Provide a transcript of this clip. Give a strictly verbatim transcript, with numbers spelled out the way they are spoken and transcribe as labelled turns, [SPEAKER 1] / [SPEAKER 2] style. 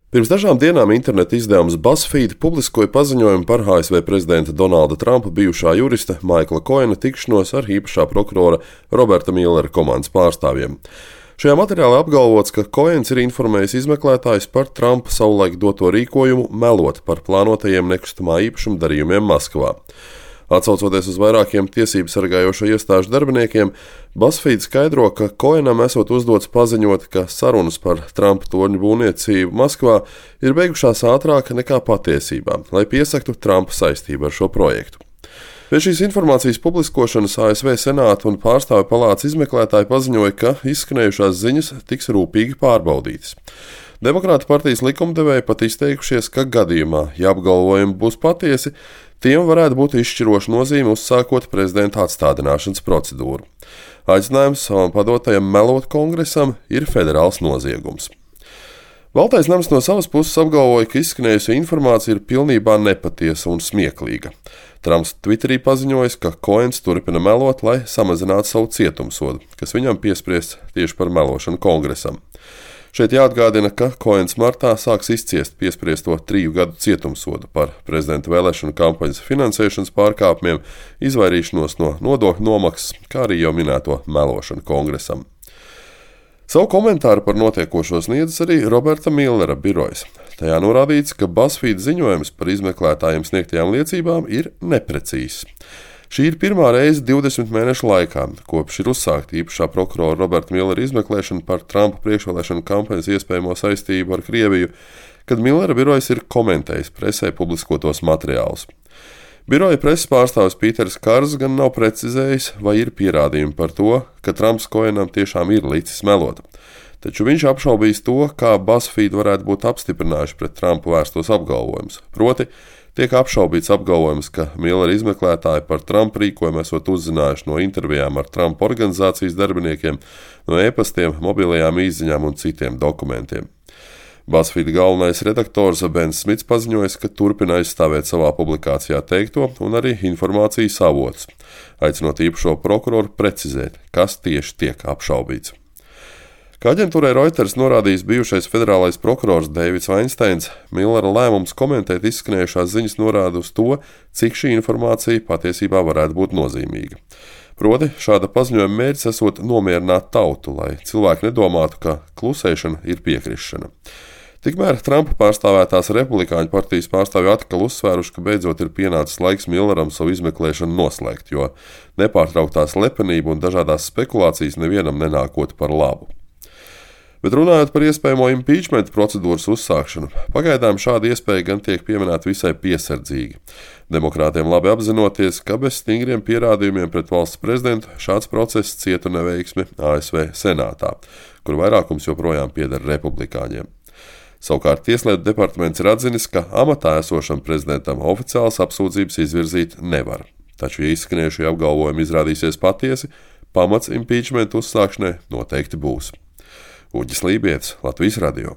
[SPEAKER 1] Pirms dažām dienām interneta izdevums BuzzFeed publiskoja paziņojumu par A S V prezidenta Donalda Trumpa bijušā jurista Maikla Koena tikšanos ar īpašā prokurora Roberta Millera komandas pārstāvjiem. Šajā materiālā apgalvots, ka Koens ir informējis izmeklētājus par Trumpa savulaik doto rīkojumu melot par plānotajiem nekustamā īpašuma darījumiem Maskavā. Atsaucoties uz vairākiem tiesību sargājošo iestāžu darbiniekiem, BuzzFeed skaidro, ka Koenam esot uzdots paziņot, ka sarunas par Trumpa torņu būvniecību Maskavā ir beigušās ātrāk nekā patiesībā, lai piesaktu Trumpa saistību ar šo projektu. Pēc šīs informācijas publiskošanas A S V Senāta un Pārstāvju palātas izmeklētāji paziņoja, ka izskanējušās ziņas tiks rūpīgi pārbaudītas. Demokrātu partijas likumdevēji pat izteikušies, ka gadījumā, ja apgalvojumi būs patiesi, tiem varētu būt izšķiroša nozīme uzsākot prezidenta atstādināšanas procedūru. Aicinājums savam padotajam melot kongresam ir federāls noziegums. Baltais nams no savas puses apgalvoja, ka izskanējusi informācija ir pilnībā nepatiesa un smieklīga. Trumps Twitterī paziņojis, ka Koens turpina melot, lai samazinātu savu cietumsodu, kas viņam piespriests tieši par melošanu kongresam. Šeit jāatgādina, ka Koens martā sāks izciest piespriesto triju gadu cietumsodu par prezidenta vēlēšanu kampaņas finansēšanas pārkāpumiem, izvairīšanos no nodokļu nomaksas, kā arī jau minēto melošanu kongresam. Savu komentāru par notiekošo sniedzis arī Roberta Millera birojas. Tajā norādīts, ka BuzzFeed ziņojums par izmeklētājiem sniegtajām liecībām ir neprecīzs. Šī ir pirmā reize divdesmit mēnešu laikā, kopš ir uzsākta īpašā prokurora Roberta Millera izmeklēšana par Trumpa priekšvēlēšanu kampaņas iespējamo saistību ar Krieviju, kad Millera birojas ir komentējis presē publiskotos materiālus. Biroja preses pārstāvis Pīters Kars gan nav precizējis, vai ir pierādījumi par to, ka Trumps Koenam tiešām ir licis melot. Taču viņš apšaubījis to, kā BuzzFeed varētu būt apstiprinājuši pret Trumpu vērstos apgalvojumus. Proti, tiek apšaubīts apgalvojums, ka Millera izmeklētāji par Trumpa rīkojumu esot uzzinājuši no intervijām ar Trumpa organizācijas darbiniekiem, no e-pastiem, mobilajām izziņām un citiem dokumentiem. BuzzFeed galvenais redaktors Bens Smits paziņojis, ka turpina aizstāvēt savā publikācijā teikto un arī informācijas avotus, aicinot īpašo prokuroru precizēt, kas tieši tiek apšaubīts. Kā aģentūrai Reuters norādījis bijušais federālais prokurors Deivids Vainsteins, Millera lēmums komentēt izskanējušās ziņas norāda uz to, cik šī informācija patiesībā varētu būt nozīmīga. Proti, šāda paziņojuma mērķis esot nomierināt tautu, lai cilvēki nedomātu, ka klusēšana ir piekrišana. Tikmēr Trumpa pārstāvētās republikāņu partijas pārstāvji atkal uzsvēruši, ka beidzot ir pienācis laiks Milleram savu izmeklēšanu noslēgt, jo nepārtrauktā slepenība un dažādās spekulācijas nevienam nenākot par labu. Bet runājot par iespējamo impeachment procedūras uzsākšanu, pagaidām šāda iespēja gan tiek pieminēta visai piesardzīgi. Demokrātiem labi apzinoties, ka bez stingriem pierādījumiem pret valsts prezidentu šāds process cietu neveiksmi A S V Senātā, kur vairākums joprojām pieder republikāņiem. Savukārt Tieslietu departaments ir atzinis, ka amatā esošam prezidentam oficiāls apsūdzības izvirzīt nevar. Taču, ja izskanējušie apgalvojumi izrādīsies patiesi, pamats impeachment uzsākšanai noteikti būs. Uģis Lībietis, Latvijas radio.